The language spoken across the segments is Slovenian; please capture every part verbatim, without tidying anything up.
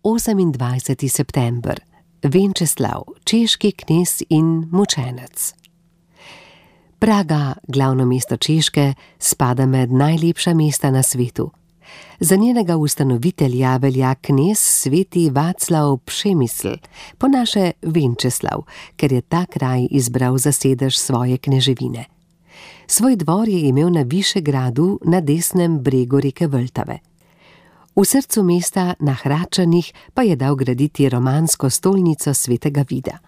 osemindvajseti september. Venčeslav, češki knez in mučenec. Praga, glavno mesto Češke, spada med najlepša mesta na svetu. Za njenega ustanovitelja velja knez sveti Vaclav Přemysl, po naše Venčeslav, ker je ta kraj izbral za sedež svoje kneževine. Svoj dvor je imel na Višegradu na desnem bregu reke Vltave. V srcu mesta na Hračanih pa je dal graditi romansko stolnico svetega Vida.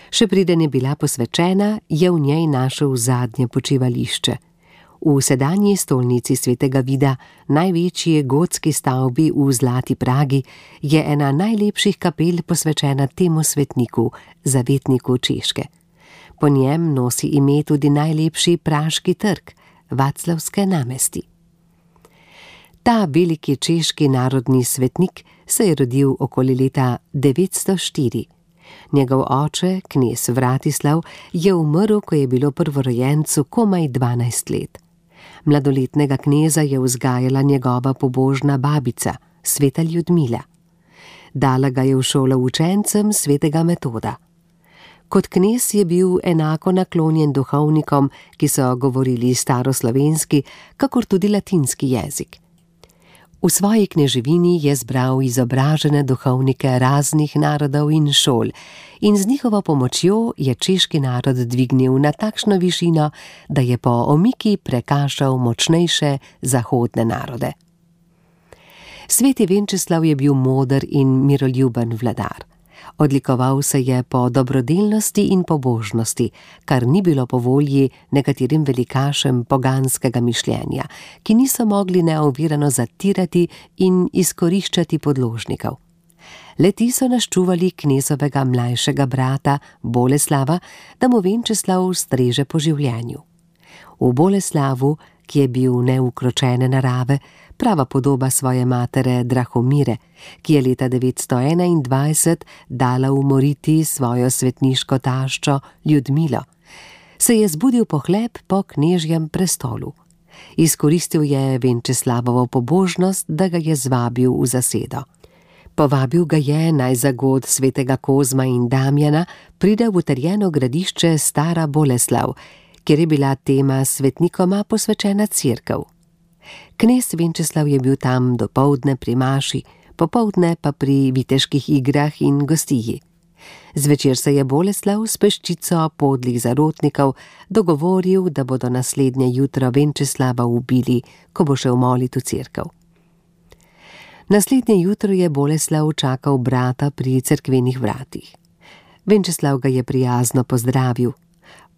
Še preden je bila posvečena, je v njej našel zadnje počivališče. V sedanji stolnici svetega Vida, največji gotski stavbi v Zlati Pragi, je ena najlepših kapel posvečena temu svetniku, zavetniku Češke. Po njem nosi ime tudi najlepši praški trg, Vaclavske namesti. Ta veliki češki narodni svetnik se je rodil okoli leta devetsto štiri. Njegov oče, knez Vratislav, je umrl, ko je bilo prvorojencu komaj dvanajst let. Mladoletnega kneza je vzgajala njegova pobožna babica, sveta Ljudmila. Dala ga je v šolo učencem svetega Metoda. Kot knez je bil enako naklonjen duhovnikom, ki so govorili staroslovenski, kakor tudi latinski jezik. V svoji kneževini je zbral izobražene duhovnike raznih narodov in šol in z njihovo pomočjo je češki narod dvignil na takšno višino, da je po omiki prekašal močnejše zahodne narode. Sveti Venčeslav je bil moder in miroljuben vladar. Odlikoval se je po dobrodelnosti in pobožnosti, kar ni bilo po volji nekaterim velikašem poganskega mišljenja, ki niso mogli neovirano zatirati in izkoriščati podložnikov. Le-ti so naščuvali knezovega mlajšega brata Boleslava, da mu Venčeslav streže po življenju. V Boleslavu, ki je bil neukročene narave, prava podoba svoje matere Drahomire, ki je leta devetsto enaindvajset dala umoriti svojo svetniško taščo Ljudmilo, se je zbudil pohlep po knežjem prestolu. Izkoristil je Venčeslavovo pobožnost, da ga je zvabil v zasedo. Povabil ga je, naj za god svetega Kozma in Damjana pride v utrjeno gradišče Stara Boleslav, kjer je bila tema svetnikoma posvečena cerkev. Knez Venčeslav je bil tam dopoldne pri maši, popoldne pa pri viteških igrah in gostiji. Zvečer se je Boleslav s peščico podlih zarotnikov dogovoril, da bodo naslednje jutro Venčeslava ubili, ko bo šel molit v cerkev. Naslednje jutro je Boleslav čakal brata pri cerkvenih vratih. Venčeslav ga je prijazno pozdravil,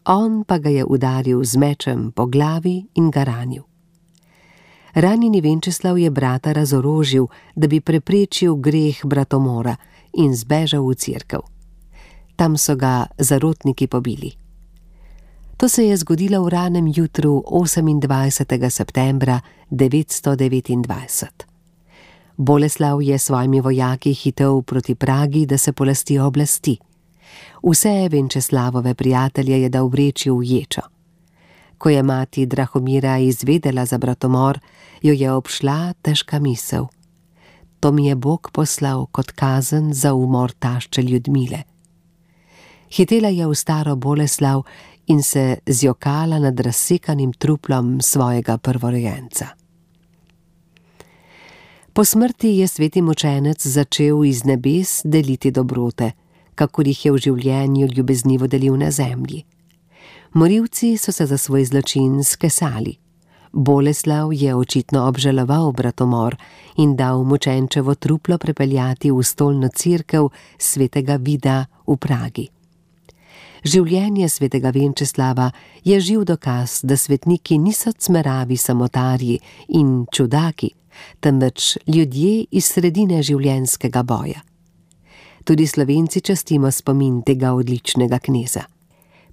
on pa ga je udaril z mečem po glavi in ga ranil. Ranjeni Venčeslav je brata razorožil, da bi preprečil greh bratomora in zbežal v cerkev. Tam so ga zarotniki pobili. To se je zgodilo v ranem jutru osemindvajsetega septembra devetsto devetindvajset. Boleslav je s svojimi vojaki hitel proti Pragi, da se polasti oblasti. Vse Venčeslavove prijatelje je dal vreči v ječo. Ko je mati Drahomira izvedela za bratomor, jo je obšla težka misel. To mi je Bog poslal kot kazen za umor tašče Ljudmile. Hitela je v Staro Boleslav in se zjokala nad razsekanim truplom svojega prvorojenca. Po smrti je sveti mučenec začel iz nebes deliti dobrote, kakor jih je v življenju ljubeznivo delil na zemlji. Morilci so se za svoj zločin skesali. Boleslav je očitno obžaloval bratomor in dal mučenčevo truplo prepeljati v stolno cerkev svetega Vida v Pragi. Življenje svetega Venčeslava je živ dokaz, da svetniki niso cmeravi samotarji in čudaki, temveč ljudje iz sredine življenjskega boja. Tudi Slovenci častimo spomin tega odličnega kneza.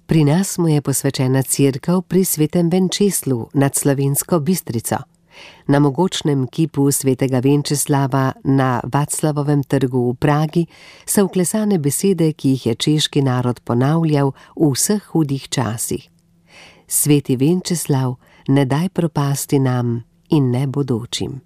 Pri nas mu je posvečena cerkev pri svetem Venčeslu nad Slovensko Bistrico. Na mogočnem kipu svetega Venčeslava na Vaclavovem trgu v Pragi so vklesane besede, ki jih je češki narod ponavljal v vseh hudih časih. Sveti Venčeslav, ne daj propasti nam in ne bodočim.